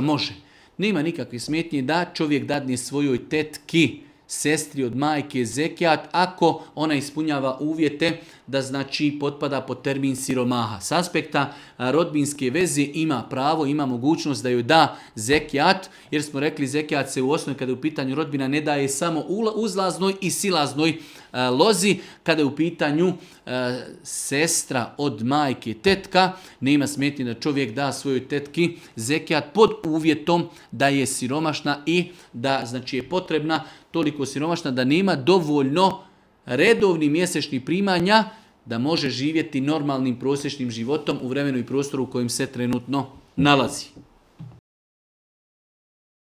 može. Nema nikakve smetnje da čovjek dadne svojoj tetki, sestri od majke zekijat, ako ona ispunjava uvjete da znači potpada pod termin siromaha. S aspekta rodbinske veze ima pravo, ima mogućnost da joj da zekijat, jer smo rekli zekijat se u osnovi kada je u pitanju rodbina ne daje samo uzlaznoj i silaznoj lozi. Kada je u pitanju sestra od majke, tetka, nema smetnje da čovjek da svojoj tetki zekijat pod uvjetom da je siromašna i da znači je potrebna toliko siromašna da nema dovoljno redovnih mjesečnih primanja da može živjeti normalnim prosječnim životom u vremenu i prostoru u kojem se trenutno nalazi.